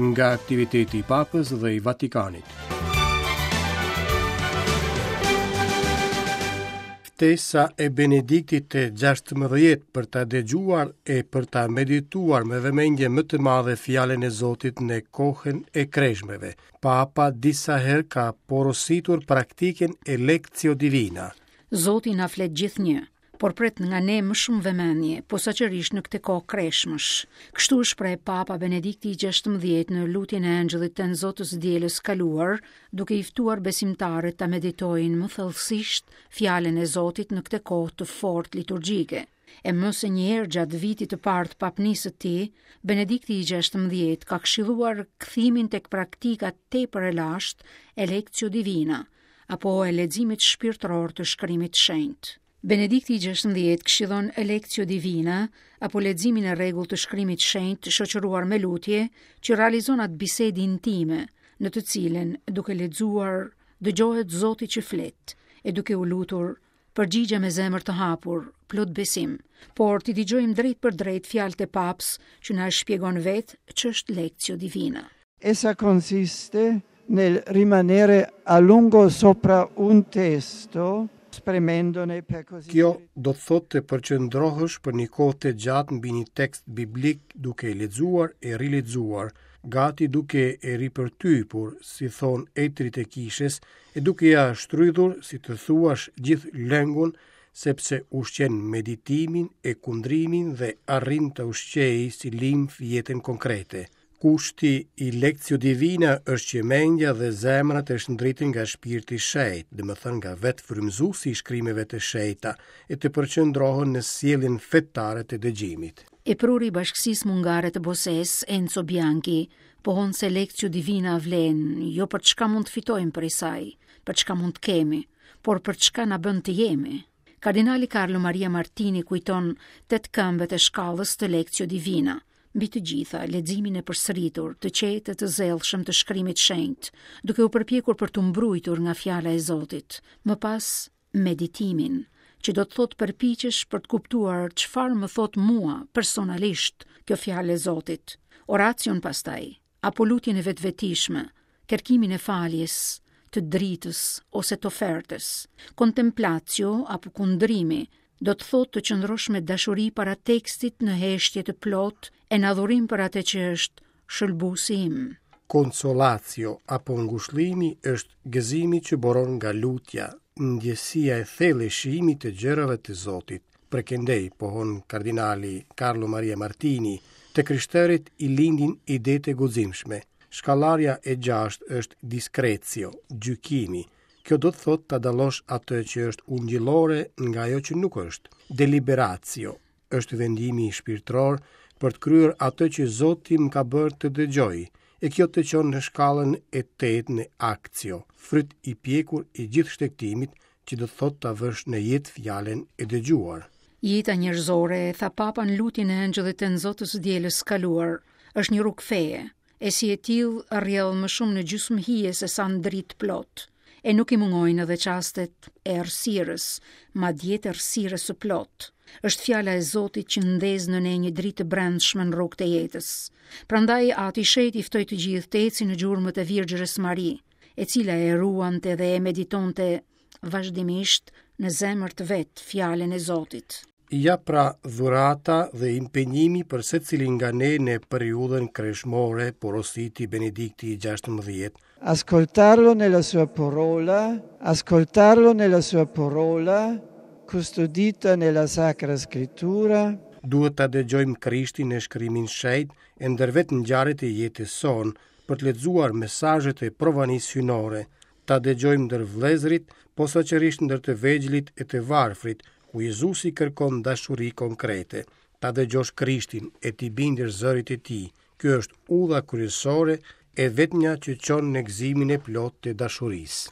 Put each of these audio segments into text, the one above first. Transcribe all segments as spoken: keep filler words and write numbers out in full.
Nga aktiviteti i Papës dhe i Vatikanit. Ftesa e Benediktit të gjashtëmbëdhjetë për ta dëgjuar e për ta medituar me vëmendje më të madhe fjalën e Zotit në kohën e kreshmeve. Papa disa herë ka porositur praktikën e Lectio Divina. Zoti na flet gjithnjë, por pret nga ne më shumë vëmendje, posaçërisht në këtë kohë kreshmësh. Kështu u shpreh Papa Benedikti i gjashtëmbëdhjetë në lutjen e Engjëllit të Zotës dielës kaluar, duke i ftuar besimtarët ta meditojnë më thellësisht fjalën e Zotit në këtë kohë të fortë liturgjike. E më se një herë gjatë vitit të parë të papnisë së tij, Benedikti i gjashtëmbëdhjetë ka këshilluar kthimin tek praktika tepër e lashtë e Lectio Divina, apo e leximit shpirtëror të shkrimit të shenjtë. Benedikti i gjashtëmbëdhjetë këshillon Lectio Divina, apo leximin e rregullt të shkrimit shenjt shoqëruar me lutje, që realizon atë bisedë intime, në të cilën, duke lexuar, dëgjohet Zoti që flet, e duke u lutur, përgjigje me zemër të hapur, plot besim, por t'i dëgjojmë drejt për drejt fjalët e Papës që na shpjegon vetë ç'është Lectio Divina. Essa consiste nel rimanere a lungo sopra un testo, spremendone per così Kjo do të thotë të përqendrohesh për një kohë të gjatë mbi një tekst biblik duke e lexuar e rilexuar, gati duke e ripërtypur, si thon etrit e kishës, e duke ja shtrydhur, si të thuash, gjithë lëngun, sepse ushqen meditimin e kundrimin dhe arrin të ushqejë si limf jetën konkrete. Kushti i Lectio Divina është që mendja dhe zemra të shndritin nga shpirti i shenjtë, domethënë nga vetë frymëzuesi i shkrimeve të shenjta, e të përqendrohen në sjelljen fetare të dëgjimit. E pruri i Bashkësisë Mungare të Boses, Enzo Bianchi, pohon se Lectio Divina vlen jo për çka mund të fitojmë prej saj, për çka mund të kemi, por për çka na bën të jemi. Kardinali Carlo Maria Martini kujton tetë këmbët e shkallës të Lectio Divina, mbi të gjitha leximin e përsëritur, të qetë e të zellshëm të shkrimit shenjt, duke u përpjekur për t'u mbrujtur nga fjala e Zotit. Më pas meditimin, që do të thotë përpiqesh për të kuptuar çfarë më thot mua personalisht kjo fjalë e Zotit. Oracion pastaj, apo lutjen e vetvetishme, kërkimin e faljes, të dritës ose të ofertës. Kontemplatio apo kundrimi do të thotë të qëndrosh me dashuri para tekstit në heshtje të plotë e në adhurim për atë që është shëlbuesi im. Consolatio apo ngushëllimi është gëzimi që boron nga lutja, ndjesia e thellë e shijimit të gjërave të Zotit. Prekendej, pohon kardinali Carlo Maria Martini, të krishterit i lindin idetë e guximshme. Shkallarja e gjashtë është discretio, gjykimi. Kjo do të thotë ta dallosh atë që është ungjillore nga ajo që nuk është. Deliberatio është vendimi shpirtëror për të kryer atë që Zoti më ka bërë të dëgjoj, e kjo të çon në shkallën e tetë në aktio, fryt i pjekur i gjithë shtegtimit, që do të thotë ta vësh në jetë fjalën e dëgjuar. Jeta njerëzore, tha Papa në lutjen e Engjëllit të Zotës dielës kaluar, është një rrugë feje, e si e tillë rrjedh më shumë në gjysmë hije se sa në dritë plot. E nuk i mungojnë edhe çastet e errësirës, madje të errësirës së plotë. Është fjala e Zotit që ndez në ne një dritë të brendshme në rrugët e jetës. Prandaj Ati i Shenjtë i ftoi të gjithë të ecin në gjurmët e Virgjërës Mari, e cila e ruante dhe e meditonte vazhdimisht në zemër të vet fjalën e Zotit. Ja pra dhurata dhe impenjimi për secilin nga ne në periudhën kreshmore, porositi Benedikti i gjashtëmbëdhjetë. Ascoltarlo nella sua parola, ascoltarlo nella sua parola, custodita nella Sacra Scrittura. Duhet ta dëgjojmë Krishtin në shkrimin shenjt e ndër vetë ngjarjet e jetës sonë, për të lexuar mesazhet e provanisë hyjnore, ta dëgjojmë ndër vëllezërit, posaçërisht ndër të vegjlit e të varfrit, ku Jezusi kërkon dashuri konkrete. Ta dëgjosh Krishtin e t'i bindesh zërit të tij. Kjo është udha kryesore e vetmja që çon në gëzimin e plotë të dashurisë.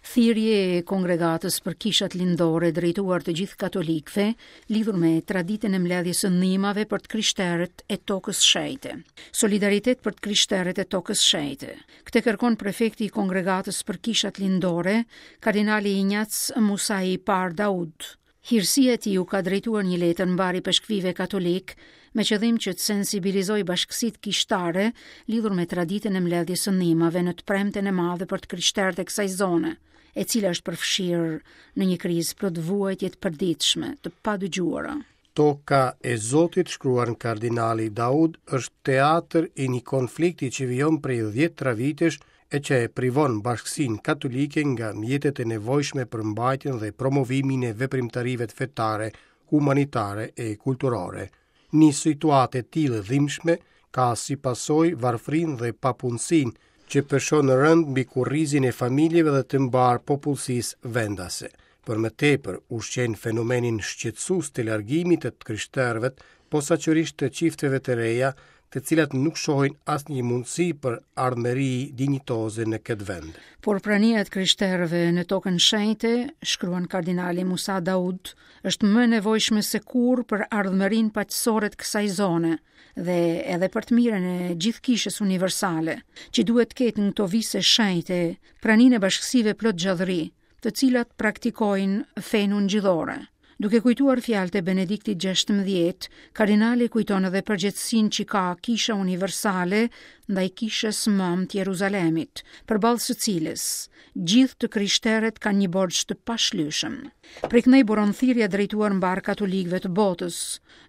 Thirrje e Kongregatës për Kishat Lindore drejtuar të gjithë katolikëve lidhur me traditën e mbledhjes së ndihmave për të krishterët e tokës shenjte. Solidaritet për të krishterët e tokës shenjte. Këtë kërkon prefekti i Kongregatës për Kishat Lindore, kardinali Injac Musai Par Daud. Hirësia e tij u ka drejtuar një letër mbari peshkvive katolik me qëllim që të sensibilizojë bashkësitë kishtare lidhur me traditën e mbledhjes së ndihmave në të premten e madhe për të krishterët e kësaj zone, e cila është përfshirë në një krizë plot vuajtje të përditshme, të padëgjuara. Toka e Zotit, shkruan kardinali Daud, është teatr i një konflikti që vijon prej dhjetëra vitesh e që e privon bashkësinë katolike nga mjetet e nevojshme për mbajtjen dhe promovimin e veprimtarive fetare, humanitare e kulturore. Një situatë e tillë e dhimbshme ka si pasojë varfërinë dhe papunësinë që peshon rënd mbi kurrizin e familjeve dhe të mbar popullsisë vendase. Për më tepër, ushqen fenomenin shqetësues të largimit të të krishterëve, posaçërisht të çifteve të reja, të cilat nuk shohin asnjë mundësi për ardhmëri dinjitoze në këtë vend. Por prania e të krishterëve në tokën shenjte, shkruan kardinali Musa Daud, është më e nevojshme se kurrë për ardhmërinë paqësore të kësaj zone dhe edhe për të mirën e gjithë kishës universale, që duhet të ketë në këto vise shenjte praninë e bashkësive plot gjallëri, të cilat praktikojnë fenë ungjillore. Duke kujtuar fjalët e Benediktit gjashtëmbëdhjetë, kardinali kujton edhe përgjegjësinë që ka Kisha Universale ndaj Kishës Mëm të Jeruzalemit, përballë së cilës gjithë të krishterët kanë një borxh të pashlyeshëm. Prej këndej buron thirrja drejtuar mbar katolikëve të botës,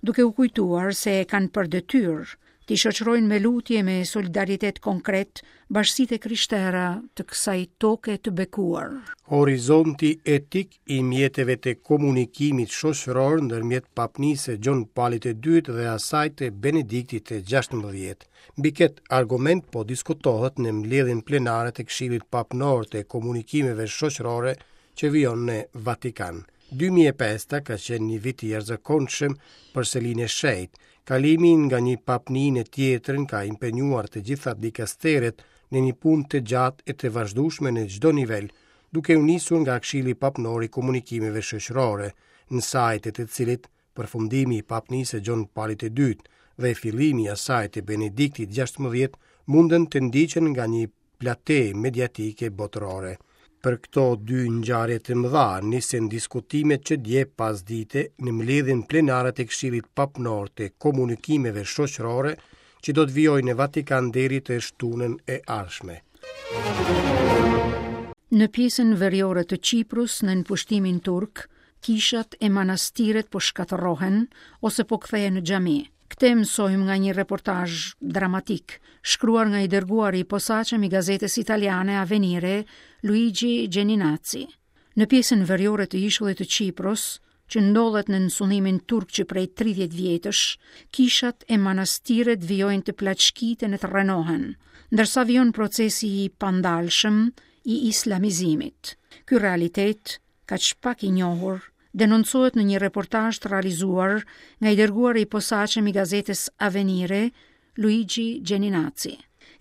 duke u kujtuar se e kanë për detyrë t'i shoqërojnë me lutje me solidaritet konkret bashkësitë e krishtera të kësaj toke të bekuar. Horizonti etik i mjeteve të komunikimit shoqëror ndërmjet papnisë Gjon Palit të dytë dhe asaj të Benediktit të gjashtëmbëdhjetë. Mbi këtë argument po diskutohet në mbledhjen plenare të Këshillit Papnor të Komunikimeve Shoqërore që vijon në Vatikan. dy mijë e pesta ka qenë një vit i jashtëzakonshëm për Selinë e Shenjtë. Kalimi nga një papni në tjetrën ka impenjuar të gjitha dikasteret në një punë të gjatë e të vazhdueshme në çdo nivel, duke u nisur nga Këshilli Papnor i Komunikimeve Shoqërore, në sajt e të cilit përfundimi i papnisë Gjon Palit të dytë dhe fillimi i asaj të Benediktit gjashtëmbëdhjetë mundën të ndiqen nga një plate mediatike botërore. Për këto dy ngjarje të mëdha nisën diskutimet që dje pas dite në mbledhjen plenare të Këshillit Papnor të Komunikimeve Shoqërore, që do të vijojë në Vatikan deri të shtunën e ardhshme. Në pjesën veriore të Qiprus, në pushtimin turk, kishat e manastiret po shkatërrohen ose po kthehen në xhami. Këtë mësojmë nga një reportazh dramatik, shkruar nga i dërguari i posaçëm i gazetës italiane Avvenire, Luigi Geninazzi. Në pjesën veriore të ishullit të Qipros, që ndodhet në sundimin turk që prej tridhjetë vjetësh, kishat e manastiret vijojnë të plaçkiten e të rrënohen, ndërsa vijon procesi i pandalshëm i islamizimit. Ky realitet, kaq pak i njohur, denoncohet në një reportazh të realizuar nga i dërguari i posaçëm i gazetës Avvenire, Luigi Geninazzi.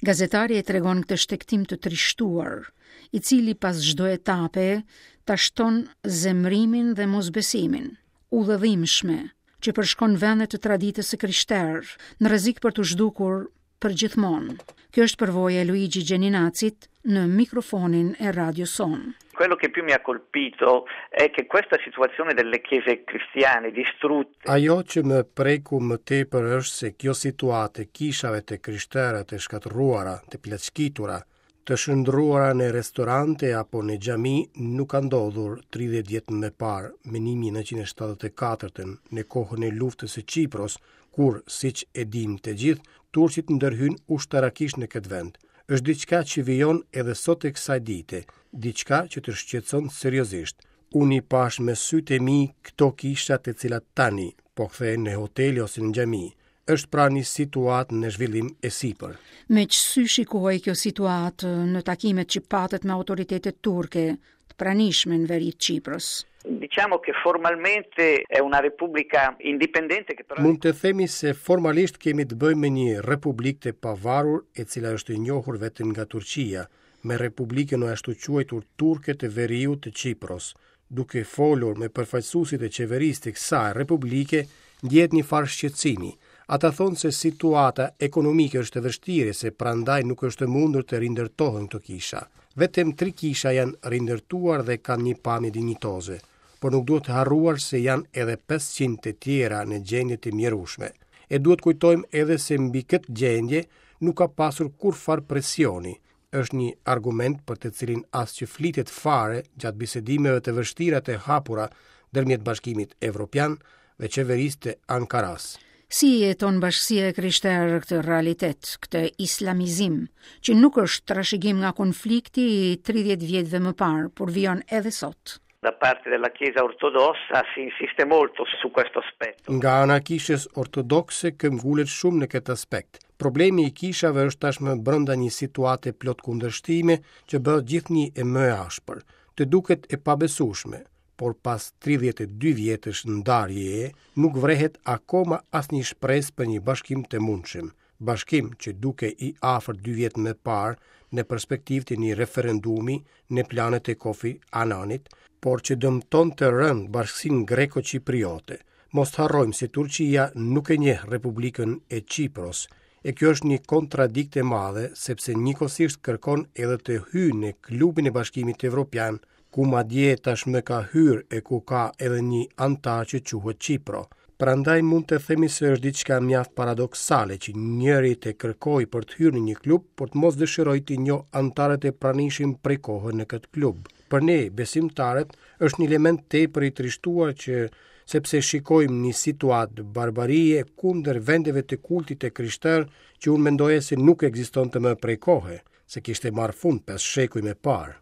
Gazetari e tregon këtë shtegtim të trishtuar, i cili pas çdo etape ta shton zemrimin dhe mosbesimin. Udhë e dhimbshme që përshkon vende të traditës së krishterë, në rrezik për t'u zhdukur për gjithmonë. Kjo është përvoja e Luigi Geninazzit në mikrofonin e Radio Son. Quello che più mi ha colpito è che questa situazione delle chiese cristiane distrutte. Ajo që më preku më tepër është se kjo situatë e kishave të krishtera të shkatërruara, të plaçkitura, të shndruara në restorante apo në xhami nuk ka ndodhur tridhjetë vjet më parë, më një mijë e nëntëqind e shtatëdhjetë e katërtën, në kohën e luftës së Qipros, kur, siç e dim të gjithë, turqit ndërhyn ushtarakisht në këtë vend. Është diçka që vijon edhe sot e kësaj dite, diçka që të shqetëson seriozisht. Unë i pash me sytë e mi këto kisha të cilat tani po kthehen në hotele ose në xhami. Është pra një situatë në zhvillim e sipër. Me ç'sy shikohej kjo situatë në takimet që patët me autoritetet turke të pranishme në veri të Qipros? Diciamo che formalmente è una repubblica indipendente che però Mund të themi se formalisht kemi të bëjmë me një republikë të pavarur e cila është e njohur vetëm nga Turqia, me republikën e ashtu quajtur turke të veriut të Qipros. Duke folur me përfaqësuesit e qeverisë të kësaj republike, ndjehet një farë shqetësimi. Ata thonë se situata ekonomike është e vështirë, se prandaj nuk është e mundur të rindërtohen këto kisha. Vetëm tri kisha janë rindërtuar dhe kanë një pamje dinjitoze, por nuk duhet të harruar se janë edhe pesëqind të tjera në gjendje të mjerueshme. E duhet kujtojmë edhe se mbi këtë gjendje nuk ka pasur kurrfarë presioni. Është një argument për të cilin as që flitet fare gjatë bisedimeve të vështira të hapura ndërmjet Bashkimit Evropian dhe qeverisë të Ankaras. Si jeton bashkësia e krishterë këtë realitet, këtë islamizim, që nuk është trashëgim nga konflikti i tridhjetë vjetëve më parë, por vijon edhe sot? Da parte della Chiesa ortodossa si insiste molto su questo aspetto. Nga ana e Kishës ortodokse këmbëngulet shumë në këtë aspekt. Problemi i kishave është tashmë brenda një situate plot kundërshtime që bëhet gjithnjë e më e ashpër. Të duket e pabesueshme, por pas tridhjetë e dy vjetësh ndarjeje nuk vrehet akoma asnjë shpresë për një bashkim të mundshëm. Bashkim që duke i afërt dy vjet më parë në perspektivë të një referendumi në planet e Kofi Annanit, por që dëmton të rënd bashkësinë greko-qipriote. Mos të harrojmë se Turqia nuk e njeh Republikën e Qipros, e kjo është një kontradiktë e madhe, sepse njëkohësisht kërkon edhe të hyjë në klubin e Bashkimit Evropian, ku madje tashmë ka hyrë e ku ka edhe një anëtar që quhet Qipro. Prandaj mund të themi se është diçka mjaft paradoksale që njëri të kërkojë për të hyrë në një klub, por të mos dëshirojë të njohë anëtarët e pranishëm prej kohë në këtë klub. Për ne, besimtarët, është një element tepër i trishtuar që sepse shikojmë një situatë barbarie kundër vendeve të kultit të krishterë që unë mendoja se nuk ekzistonte më prej kohe, se kishte marrë fund pesë shekuj më parë.